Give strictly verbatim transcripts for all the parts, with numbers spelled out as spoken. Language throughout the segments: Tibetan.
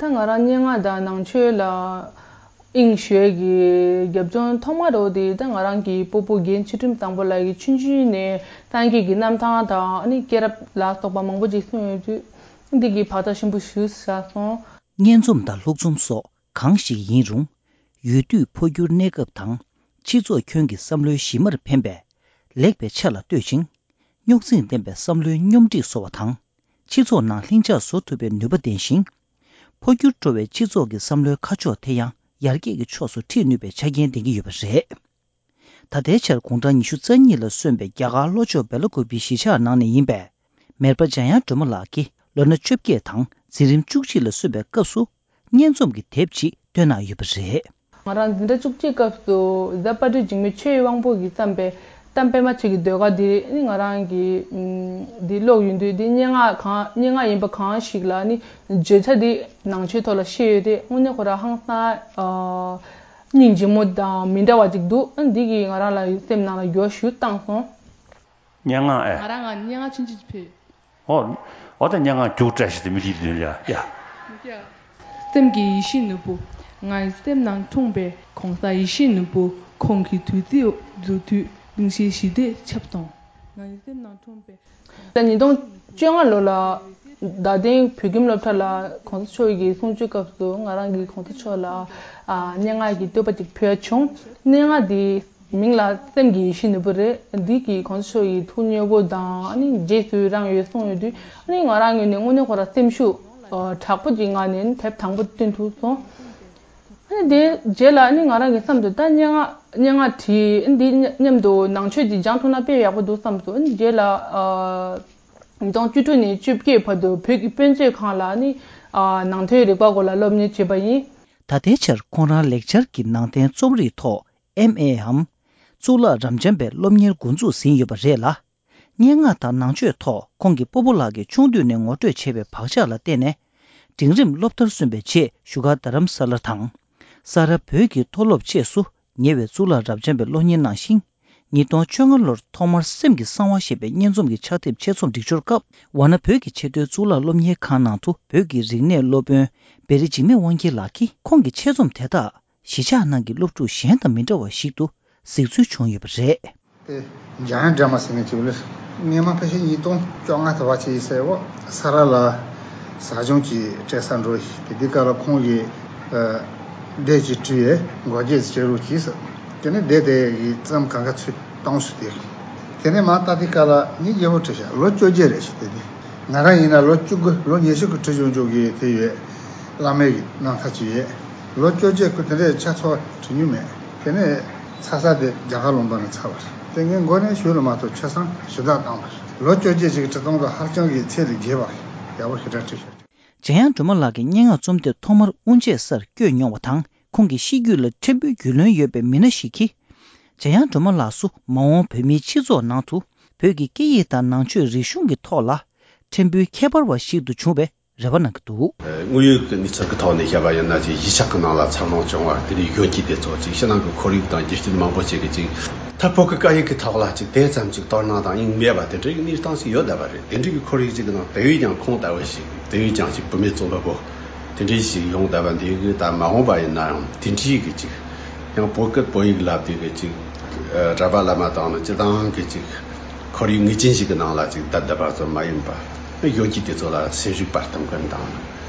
ད་ང་རང་སྙན་ངག་དང་ནང་ཆོས་ལ་དབྱིངས་ཞུགས་ཀྱི་རྒྱབ་ལྗོངས་ཐོག་མ་རོ་དེ་ད་ང་རང་གི་སྤོ་བོ་རྒན་ཚུལ་ཁྲིམས་བཟང་པོ་ལགས་ཀྱི་ཆུང་ཆུང་ནས་སངས་རྒྱས་ཀྱི་རྣམ་ཐར་དང་ཨ་ནི་སྐྱེས་རབས་ལ་སོགས་པ་མང་པོ་ཅིག་གསུངས་ཡོད་དུས་འདི་གི་བག་ཆགས་ཆེན་པོ་ཞིག་ཟ་སོང་། སྙན་རྩོམ་དང་ལྷུག་རྩོམ་སོགས་གང་ཞིག་ཡིན་རུང་། ཡུལ་དུས་འཕོ་འགྱུར་གནས་སྐབས་དང་སྤྱི་ཚོགས་ཁྱོན་གྱི་བསམ་བློའི་གཞི་མར་ཕན་པའི་ལེགས་པའི་ཆ་ལ་ལྟོས་ཤིང་། རྙོག་འཛིང་ལྡན་པའི་བསམ་བློའི་སྙོམས་སྒྲིག་བཟོ་བ་དང་། སྤྱི་ཚོགས་ནང་ལྷིང་འཇགས་བཟོ་ཐུབ་པའི་ནུས་པ་ལྡན་ཞིང་། འཕོ་འགྱུར་འགྲོ་བའི་སྤྱི་ཚོགས་ཀྱི་བསམ་བློའི་ཁ་ཕྱོགས་དེ་ཡང་ཡར་རྒྱས་ཀྱི་ཕྱོགས་སུ་ཁྲིད་ནུས་པའི་ཆ་རྐྱེན་ལྡན་གྱི་ཡོད་པ་རེད། ད་ལྟའི་ཆར་དགུང་གྲངས་ཉི་ཤུ་རྩ་གཉིས་ལ་སོན་པའི་རྒྱ་གར་ལྷོ་ཕྱོགས་སྦེལ་ཀོབ་པི་གཞིས་ཆགས་ནང་ནས་ཡིན་པས། མེར་པ་འཇམ་དབྱངས་སྒྲོལ་མ་ལགས་ཀྱིས་ལོ་ན་བཅོ་བརྒྱད་དང་འཛིན་རིམ་བཅུ་གཅིག་ལ་སོན་པའི་སྐབས་སུ་སྙན་རྩོམ་གྱི་དེབ་ཅིག་བཏོན་གནང་ཡོད་པ་རེད། ང་རང་འཛིན་གྲྭ་བཅུ་གཅིག་སྐབས་སུ་གཟའ་དཔལ་སྤྲུལ་འཇིགས་མེད་ཆོས་ཀྱི་དབང་པོ་གིས་བརྩམས་པའི་གཏམ་དཔེ་མ་ཆོས་ཀྱི་ཟློས་གར་འདི་ནི་ང་རང་གིས་ཨམ་འདི་ཀློག་ཡོང་དུས་འདི་སྙན་ངག་གང་སྙན་ངག་ཡིན་པ་གང་ཞིག་ལ་ནི་བརྗོད་བྱ་འདི་ནང་ཆོས་ཐོག་ལ་བཤད་ཡོད་དེ་དངོས་གནས་ཁོ་རང་ཧང་སང་ཨ། སྙིང་རྗེ་མོ་དང་མི་འདྲ་བ་ཅིག་འདུག་ཨ་འདི་གིས་ང་རང་ལ་སེམས་ནང་ལ་འགྱུར་བ་ཞིག་བཏང་སོང་། སྙན་ངག་ཨེ། ང་རང་ང་སྙན་ངག་ཆུང་ཆུང་ཅིག་ཕུལ། ཨོ། ཨོ་ད་སྙན་ངག་རྒྱུགས་སྤྲད་ཞིག་དེ་མི་ཤེས་དོན་ལ་ཡ། སེམས་ཀྱི་ཡེ་ཤེས་ནོར་བུ། ངའི་སེམས་ནང་འཁྲུངས་པའི་གོང་ས་ཡེ་ཤེས་ནོར་བུ། ཁོང་གི་བདུད་རྩི་འཛུལ་དུས་གླིང་བཞིའི་ཞི་བདེ་ཁྱབ་སོང་། ངའི་སེམས་ནང་འཁྲུངས་པའི། ད་ཉིས་སྟོང་བཅོ་ལྔ་ལོ་ལ་རྡ་སྟེང་བོད་ཁྱིམ་སློབ་གྲྭ་ལ་གོང་ས་མཆོག་གི་གསུང་ཆོས་སྐབས་སུ་ང་རང་གིས་གོང་ས་མཆོག་ལ་ཨ་སྙན་ངག་གི་བསྟོད་པ་ཅིག་ཕུལ་བྱུང་། སྙན་ངག་འདིའི་མིང་ལ་སེམས་ཀྱི་ཡེ་ཤེས་ནོར་བུ་རེད། འདི་གིས་གོང་ས་མཆོག་གི་ཐུགས་མཉེས་པོ་དང་ཨ་ནི་རྗེས་སུ་རང་ཡོད་གསུངས་ཡོད་དུས་ཨ་ནི་ང་རང་ངོས་ནས་དངོས་གནས་ཁོ་རང་སེམས་ཤུགས་ཨ་དྲག་པོ་ཅིག་ངང་ནས་དེབ་དང་པོ་བཏོན་ཐུབ་སོང་། ཨ་ནི་དེའི་རྗེས་ལ་ཨ་ནི་ང་རང་གི་བསམ་དུ་ད་སྙན་ངག་སྙན་ངག་བྲིས་ཨ་ནི་འདི་མཉམ་དུ་ནང་ཆོས་ཅིག་སྦྱང་ཐུབ་ན་དཔེ་ཡག་པོ་འདུག་བསམ་སོང་། ཨ་ནི་རྗེས་ལ་ཨ། ཉིས་སྟོང་བཅུ་དྲུག་ནས་བཅོ་བརྒྱད་བར་དུ་བོད་ཀྱི་དཔེ་མཛོད་ཁང་ལ་ནི་ཨ་ནང་དོན་རིག་པ་སྐོར་ལ་སློབ་གཉེར་བྱས་པ་ཡིན། ད་ལྟའི་ཆར་ཁོང་རང་ལེགས་སྦྱར་གྱི་ནང་བསྟན་རྩོམ་རིག་ཐོག་ཨེམ་ཨེའམ་གཙུག་ལག་རབ་འབྱམས་པའི་སློབ་གཉེར་འགོ་འཛུགས་ཟིན་ཡོད་པ་རེད་ལ། སྙན་ངག་དང་ནང་ཆོས་ཐོག་ཁོང་གི་སྤོ་བོ་ལགས་ཀྱིས་ཆུང་དུས་ནས་ངོ་སྤྲོད་བྱས་པའི་བག་ཆགས་ལ་བརྟེན་ནས། འབྲིང་རིམ་སློབ་མཐར་སོན་པའི་རྗེས་བཞུགས་སྒར་རྡ་རམ་ས་ལ་དང་། ས་རཱ་བོད་ཀྱི་མཐོ་སློབ་བཅས་སུ་ཉེ་བའི་གཙུག་ལག་རབ་འབྱམས་པའི་སློབ་གཉེར་གནང་ཞིང་། ཉིས་སྟོང་བཅོ་ལྔ་ལོར་ཐོག་མར་སེམས་ཀྱི་གསང་བ་ཞེས་པའི་སྙན་རྩོམ་གྱི་ཕྱག་དེབ་ཆེད་རྩོམ་སྒྲིག་སྦྱོར་སྐབས། ཝཱ་ཎ་བོད་ཀྱི་ཆེས་མཐོའི་གཙུག་ལག་སློབ་གཉེར་ཁང་ནང་དུ་བོད་ཀྱི་རིག་གནས་སློབ་དཔོན་བེ་རི་འཇིགས་མེད་དབང་རྒྱལ་ལགས་ཀྱིས་ཁོང་གི་ཆེད་རྩོམ་དེ་དག་གཞིས་ཆགས་ནང་གི་སློབ་ཕྲུག་གཞན་དང་མི་འདྲ་བ་ཞིག་ཏུ་གཟིགས་ཚུལ་བྱུང་ཡོད་པ་རེད། དེ་འཇམ་དབྱངས་སྒྲོལ་མ་ཟེར་མཁན་ཅིག་ལ། སྔོན་མ་ཕལ་ཆེར་ཉིས་སྟོང་བཅོ་ལྔ་དུ་བ་ཆེ་ཡི་སའི་འོག་ས་རཱ་ལ་ཟབ་སྦྱོང་ཅིག་སྤྲད་ས་འགྲོ་ཡི་དེ་དུས་སྐབས་ལ་ཁོང་གིས་ཨ་སྡེ་ཅིག་བྲིས་ཡས་འགོ་འབྱེད་བྱེད་རོགས་གྱིས་ཟེར། དེ་ནས་སྡེ་དེ་ཡི་རྩོམ་གང་ག་ཚུད་བཏང་སོང་། དེ་དེ་ནས་མ་ལྟ་དུས་སྐབས་ལ་ངས་རྒྱལ་པོ་བྲིས་ཤག་ལོ་བཅོ་བརྒྱད་རེད་ཤག་དེ་དུས་ང་རང་ཡིན་ན་ལོ་བཅུ་དགུ་ལོ་ཉི་ཤུ་གི་ཁྲི་བྱུང་བྱུང་གི་དེ་ཡོད། བླ་མའི་གི་རྣམ་ཐར་ཅིག་ཡོད། ལོ་བཅོ་བརྒྱད་ཁུ་དེ་འདྲའི་ཆ་ཚང་བ་བྲིས་མྱོང་མེད། དེ་ནས་ཚ་ས་དེ་རྒྱ་གར་ལུང་པ་ནས་ཚར་བ་རེད། དེ་ངའི་མགོ་ནས་ཞུ་ལ་མ་གཏོགས་ཆ་ཚང་ཞུ་དག་བཏང་བ་རེད། ལོ་བཅོ་བརྒྱད་ཅིག་གི་ཁྲི་སྟོང་དང་ཧ་ཅང་གི་ཚད་ལས་བརྒལ་བ་རེད། ཡག་པོ་ཞེ་དྲག་བྲིས་ཤག་འཇམ་དབྱངས་སྒྲོལ་མ་ལགས་ཀྱི་སྙན་ངག་རྩོམ་དེབ་ཐོག་མར་དབུ་འབྱེད་སར་བསྐྱོད་མྱོང་བ་དང་ཁོང་གི་གཤིས་རྒྱུད་ལ་ཕྲན་བུའི་རྒྱུས་ལོན་ཡོད་པའི་མི་སྣ་ཞིག་གིས། འཇམ་དབྱངས་སྒྲོལ་མ་ལགས་སུ་མ་འོངས་བོད་མིའི་སྤྱི་ཚོགས་ནང་དུ་བོད་ཀྱི་སྐད་ཡིག་དང་ནང་ཆོས་རིག་གཞུང་གི་ཐོག་ལ་ཕྲན་བུའི་ཁྱད་པར་བ་ཞིག་ཏུ་བྱུང་བའི་རེ་བ་གནང་གི་འདུག་དངོས་ཡོད་ཀྱི་གནས་ཚུལ་གྱི་ཐོག་ནས་བཤད་པ་ཡིན་ན་ཅིག་གཞིས་ཆགས་ཀྱི་ནང་ལ་འཚར་ལོངས་བྱུང་བ་དེ་འདྲའི་གཞོན་སྐྱེས་དེ་ཚོ་ཅིག་ཕྱི་ནང་གི་ཁོར་ཡུག་དང་རྒྱུ་རྐྱེན་མང་པོ་ཅིག་གིས་ཅིག་མཐར་བོད་ཀྱི་སྐད་ཡིག་གི་ཐོག་ལ་ཅིག་དེ་ཙམ་ཅིག་དོ་སྣང་དང་དབྱིངས་མེད་པ་དེ་འདྲའི་གནས་སྟངས་ཤིག་ཡོད་བསྡད་པ་རེད། དེ་འདྲའི་གི་ཁོར་ཡུག་ཅིག་གི་ནང་དེ་བས་ཀྱང་ཁོང་ལྟ་བུ་ཞིག་དེ་བས་ཀྱང་ཅིག་བུད་མེད་རྩོམ་པ་པོ་དེ་འདྲའི་ཞིག་ཡོང་བསྡད་པ་འདི་གི་ད་མ་འོངས་པ་ཡིན་ན་ཡང་དེ་འདྲའི་གི་ཅིག་ཡང་བོད་སྐད་བོད་ཡིག་ལབ་དུས་གི་ཅིག་ར་བ་བླ་མ་དང་ནི་སྤྱི་བཏང་གི་ཅིག་ཁོར་ཡུག་ངེས་ཅན་ཞིག་གི་ནང་ལ་ཅིག་བསྡད་བསྡད་པ་ཙམ་མ་ཡིན་པ། གཞོན་སྐྱེས་དེ་ཚོ་ལ་སེམས་ཤུགས་སྤར་ཐུབ་མཁན་དང་།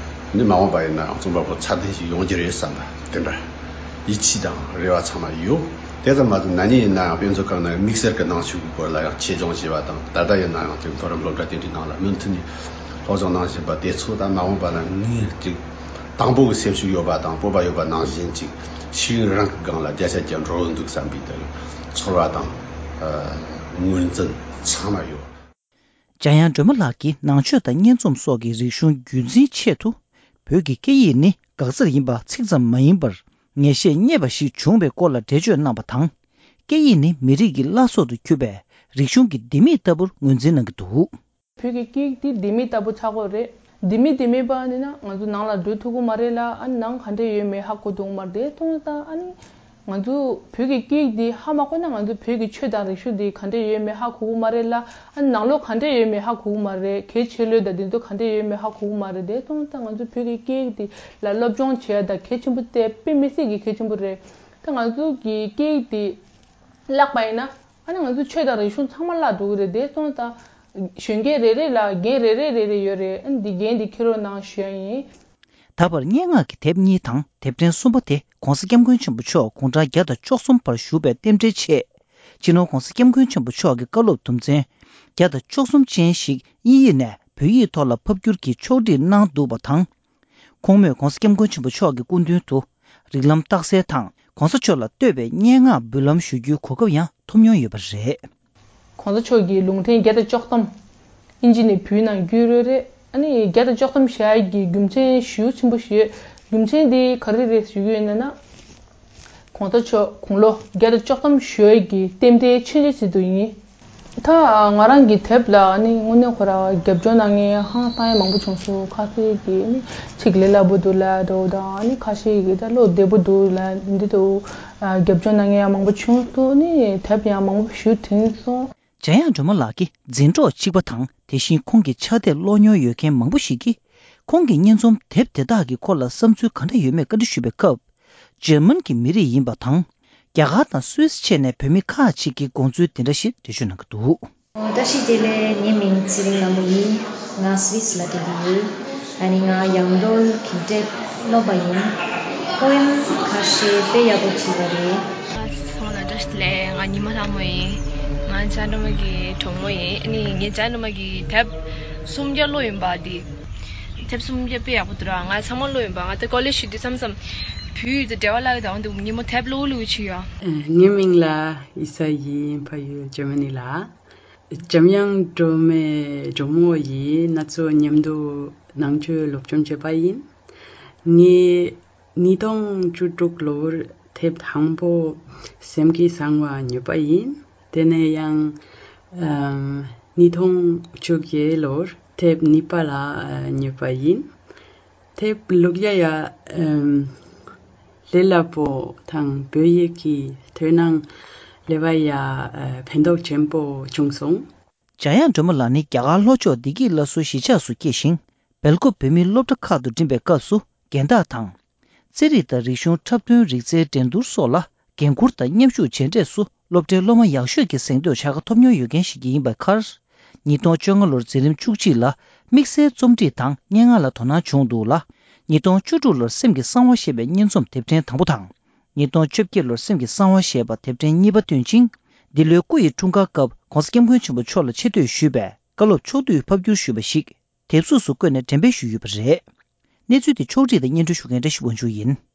ནི་མ་འོངས་པ་ཡིན་ན་ཡང་རྩོམ་པ་པོ་ཚད་ལྡན་ཞིག་ཡོང་རྒྱུ་རེད་བསམ་པ་དེ་འདྲ་ཡིད་ཆེས་དང་རེ་བ་ཚང་མ་ཡོད། དེ་ཙམ་མ་ཟད་ན་ནིང་ཡིན་ན་ཡང་དཔེ་མཛོད་ཁང་ནང་དམིགས་བསལ་གྱི་ནང་ཆོས་ཀྱི་སྐོར་ལ་ཡང་ཆེད་སྦྱོང་བྱས་པ་དང་ད་ལྟ་ཡིན་ན་ཡང་དེ་མཐོ་རིམ་སློབ་གྲྭ་དེ་འདྲའི་ནང་ལ་མུ་མཐུད་ནས་སློབ་སྦྱོང་གནང་བཞིན་པ་དེ་ཚོ་ད་མ་འོངས་པ་ལ་ངས་ཅིག་དང་པོ་གི་སེམས་ཤུགས་ཡོད་པ་དང་སྤོབས་པ་ཡོད་པ་ནང་བཞིན་ཅིག་ཤེས་ཡོན་རང་གི་སྒང་ལ་བརྒྱ་ཆ་བརྒྱ་འགྲོ་གི་འདུག་བསམ་པའི་དེ་ཚོར་བ་དང་ངོས་འཛིན་ཚང་མ་ཡོད། འཇམ་དབྱངས་སྒྲོལ་མ་ལགས་ཀྱིས་ནང་ཆོས་དང་སྙན་རྩོམ་སོགས་ཀྱི་རིག་གཞུང་རྒྱུན་འཛིན་ཆེད་དུ་བོད་ཀྱི་སྐད་ཡིག་ནི་འགག་རྩར་ཡིན་པ་ཚིག་ཙམ་མ་ཡིན་པར་ངེས་ཤེས་རྙེད་པ་ཞིག་བྱུང་བའི་སྐོར་ལ་འགྲེལ་བརྗོད་གནང་བ་དང་། སྐད་ཡིག་ནི་མི་རིགས་ཀྱི་བླ་སྲོག་ཏུ་གྱུར་པའི་རིག་གཞུང་གི་ལྡེ་མིག་ལྟ་བུར་ངོས་འཛིན་གནང་གི་འདུག་བོད་ཀྱི་སྐད་ཡིག་འདི་ལྡེ་མིག་ལྟ་བུ་ཆགས་ཀྱི་ཡོད་རེད། ལྡེ་མིག་དེ་མེད་པ་ནི་ན་ང་ཚོ་ནང་ལ་འགྲོ་ཐུབ་ཀྱི་མ་རེད་ལ། ཨ་ནི་ནང་ག་འདྲ་ཡོད་མེད་ཧ་གོ་ཐུབ་ཀྱི་མ་རེད། དེ་མཐོང་ཙང་ཨ་ནི་ ང་ཚོ་བོད་ཀྱི་སྐད་ཡིག་འདི་ཧ་མ་གོ་ན། ང་ཚོ་བོད་ཀྱི་ཆོས་དང་རིག་གཞུང་འདི་ག་འདྲ་ཡོད་མེད་ཧ་གོ་གི་མ་རེད་ལ། ཨ་ནང་ལོགས་ག་འདྲ་ཡོད་མེད་ཧ་གོ་གི་མ་རེད། གལ་ཆེ་ལོས་དང་འདི་ཚོ་ག་འདྲ་ཡོད་མེད་ཧ་གོ་གི་མ་རེད། དེ་སོང་ཙང་ང་ཚོ་བོད་ཀྱི་སྐད་ཡིག་འདི་ལ་སློབ་སྦྱོང་བྱེད་ཡ་ད་གལ་ཆེན་པོ་དེ་དཔེ་མི་སྲིད་ཀྱི་གལ་ཆེན་པོ་རེད། ད་ང་ཚོ་གི་སྐད་ཡིག་འདི་བརླག་པ་ཡིན་ན། ཨ་ནི་ང་ཚོ་ཆོས་དང་རིག་གཞུང་ཚང་མ་བརླག་འགྲོ་གི་རེད། དེ་སོང་ཙང་གཞོན་སྐྱེས་རེ་རེ་ལ་འགན་རེ་རེ་རེ་རེ་ཡོད་རེད། ཨ་ནི་འདི་འགན་འདི་འཁྱེར་རོགས་གནང་ཞུ་ཡ་ཡིན། ད་བར་སྙན་ངག་གི་དེབ་གཉིས་དང་དེབ་ཕྲེང་གསུམ་པ་དེ་༸གོང་ས་༸སྐྱབས་མགོན་ཆེན་པོ་མཆོག་དགུང་གྲངས་བརྒྱ་དང་བཅུ་གསུམ་བར་བཞུགས་པའི་རྟེན་འབྲེལ་ཆེད། སྤྱི་ནོར་༸གོང་ས་༸སྐྱབས་མགོན་ཆེན་པོ་མཆོག་གི་བཀའ་སློབ་དུམ་ཚན་བརྒྱ་དང་བཅུ་གསུམ་ཅན་ཞིག་དབྱིན་ཡིག་ནས་བོད་ཡིག་ཐོག་ལ་ཕབ་བསྒྱུར་གྱིས་ཕྱོགས་སྒྲིག་གནང་འདུག་པ་དང་། ཁོང་མོས་༸གོང་ས་༸སྐྱབས་མགོན་ཆེན་པོ་མཆོག་གི་སྐུ་མདུན་དུ་རིགས་ལམ་རྟགས་གསལ་དང་༸གོང་ས་མཆོག་ལ་བསྟོད་པའི་སྙན་ངག་འབུལ་ལམ་ཞུ་རྒྱུའི་གོ་སྐབས་ཡང་ཐོབ་མྱོང་ཡོད་པ་རེད། གོང་ས་མཆོག་གི་ལུང་ཕྲན་བརྒྱ་དང་བཅུ་གསུམ་ཨིན་ཇི་ནས་བོད་ནང་བསྒྱུར་ཡོད་རེད། ཨ་ནི་བརྒྱ་དང་བཅུ་གསུམ་བཞག་ཡག་གི་རྒྱུ་མཚན་ཞེ་པོ་ཆེན་པོ་ཞིག་ཡོད། རྒྱུ་མཚན་དེ་ག་རེ་རེད་ཞུ་གི་ཡོད་ན་ན། གོང་ས་མཆོག་དགུང་ལོ་བརྒྱ་དང་བཅུ་གསུམ་བཞུགས་ཡག་གི་རྟེན་འབྲེལ་ཆེན་ཆེ་ཞིག་ཏུ་ཡིན། ད་ང་རང་གི་དེབ་ལ་ནི་དངོས་གནས་ཁོ་རང་རྒྱབ་སྐྱོར་གནང་མཁན་ཧང་སང་ཡ་མང་པོ་བྱུང་སོང་། ཁ་ཤས་ཀྱིས་ནི་ཚིག་ལས་སླ་པོ་འདུག་ལབ་འདུག་དང་ནི་ཁ་ཤས་ཀྱིས་ད་བློ་བདེ་པོ་འདུག་ལབ་འདི་འདུག་རྒྱབ་སྐྱོར་གནང་མཁན་ཡང་མང་པོ་བྱུང་སོང་། ནི་དེབ་ཡང་མང་པོ་ཞུ་བྱུང་སོང་། འཇམ་དབྱངས་སྒྲོལ་མ་ལགས་ཀྱི་འཛིན་གྲོགས་གཅིག་པ་དང་དེ་བཞིན་ཁོང་གི་ཕྱག་དེབ་ཀློག་མྱོང་ཡོད་མཁན་མང་པོ་ཞིག་གིས་ཁོང་གི་སྙན་རྩོམ་དེབ་དེ་དག་གི་སྐོར་ལ་བསམ་ཚུལ་ག་འདྲ་ཡོད་མེད་བཀའ་འདྲི་ཞུས་པའི་སྐབས། འཇར་མན་གྱི་མི་རིགས་ཡིན་པ་དང་། རྒྱ་གར་དང་སུད་སི་བཅས་ནས་བོད་མི་ཁག་ཅིག་གིས་དགོངས་ཚུལ་དེ་འདྲ་ཞིག་འགྲེལ་བརྗོད་གནང་གི་འདུག་བཀྲ་ཤིས་བདེ་ལེགས། ངའི་མིང་ཚེ་རིང་ལྷ་མོ་ཡིན། ང་སུད་སི་ལ་བསྡད་ཀྱི་ཡོད། ཨ་ནི་ང་ཡང་སྒྲོལ་གྱི་དེབ་ཀློག་པ་ཡིན། པོ་ཨེམ་ཁ་ཤས་དཔེ་ཡག་པོ་བྲིས་པ་རེད། ང་ཚང་མ་ལ་བཀྲ་ཤིས་བདེ་ལེགས། ང་ཉི་མ་ལྷ་མོ་ཡིན། ང་འཇམ་དབྱངས་སྒྲོལ་མ་གི་གྲོགས་མོ་ཡིན། ཨ་ནི་ངས་འཇམ་དབྱངས་སྒྲོལ་མ་གི་དེབ་སུམ་བརྒྱ་ཀློག་ཡིན་པ་འདི། དེབ་སུམ་བརྒྱ་དཔེ་ཡག་པོ་འདུག་ར། ང་ཚང་མ་ཀློག་ཡིན་པ། ང་ད་ཀོ་ལེཇ་ཞུགས་དུས་མཚམས་མཚམས་བོད་ཡིག་དང་འབྲེལ་བ་བརླག་གི་འདུག་འདུག་ཉིན་མོ་དེབ་ཀློག་ལུགས་ཅིག་ཡོད། ངའི་མིང་ལ་ཨི་ས་ཡིན། ཕ་ཡུལ་འཇར་མ་ནི་ལ། འཇམ་དབྱངས་སྒྲོལ་མའི་གྲོགས་མོ་ཡིས་ང་ཚོ་མཉམ་དུ་ནང་ཆོས་སློབ་སྦྱོང་བྱས་པ་ཡིན། ངས་ཉིས་སྟོང་བཅུ་དྲུག་ལོར་དེབ་དང་པོ་སེམས་ཀྱི་གསང་བ་ཉོས་པ་ཡིན། དེ་ནས་ཡང་ཉིས་སྟོང་བཅོ་བརྒྱད་ལོར་དེབ་གཉིས་པ་ལ་ཉོས་པ་ཡིན། དེབ་ཀློག་ཡ་ཡ་ལས་སླ་པོ་དང་བོད་ཡིག་གི་དོན་སྣང་ལེན་པ་ཡ་ཕན་ཐོགས་ཆེན་པོ་བྱུང་སོང་། འཇམ་དབྱངས་སྒྲོལ་མ་ལགས་ནི་རྒྱ་གར་ལྷོ་ཕྱོགས་བདེ་སྐྱིད་སླར་གསོའི་གཞིས་ཆགས་སུ་སྐྱེས་ཤིང་། སྦེལ་ཀོབ་བོད་མིའི་སློབ་གྲྭ་ཁག་ཏུ་འགྲིམས་པའི་སྐབས་སུ་རྒན་བདག་དང་། རྩེད་རིགས་དང་རིག་གཞུང་འཁྲབ་སྟོན། རིག་རྩལ་འགྲན་བསྡུར་སོགས་ལ་འགན་འཁུར་དང་མཉམ་ཞུགས་བྱས་འབྲས་སུ་སློབ་གྲྭའི་སློབ་མ་ཡག་ཤོས་ཀྱི་གཟེངས་བསྟོད་བྱ་དགའ་ཐོབ་མྱོང་ཡོད་མཁན་ཞིག་ཡིན་པའི་ཁར། ཉིས་སྟོང་བཅོ་ལྔ་ལོར་འཛིན་རིམ་བཅུ་གཅིག་ལ་དམིགས་བསལ་རྩོམ་སྒྲིག་དང་སྙན་ངག་ལ་དོ་སྣང་བྱུང་འདུག་ལ། ཉིས་སྟོང་བཅུ་དྲུག་ལོར་སེམས་ཀྱི་གསང་བ་ཞེས་པའི་སྙན་རྩོམ་དེབ་ཕྲེང་དང་པོ་དང་། ཉིས་སྟོང་བཅོ་བརྒྱད་ལོར་སེམས་ཀྱི་གསང་བ་ཞེས་པ་དེབ་ཕྲེང་གཉིས་པ་བཏོན་ཅིང་། འདི་ལོའི་སྐུ་ཡི་འཁྲུངས་སྐར་སྐབས་༸གོང་ས་༸སྐྱབས་མགོན་ཆེན་པོ་མཆོག་ལ་ཆེ་བསྟོད་ཞུས་པའི་བཀའ་སློབ་ཕྱོགས་བསྡུས་ཕབ་བསྒྱུར་ཞུས་པ་ཞིག་དེབ་གཟུགས་སུ་བཀོད་ནས་འགྲེམས་སྤེལ་ཞུས་ཡོད་པ་རེད། གནས་ཚུལ་དེ་ཕྱོགས་སྒྲིག་དང་སྙན་སྒྲོན་ཞུ་མཁན་བཀྲ་ཤིས་དབང་ཕྱུག་ཡིན།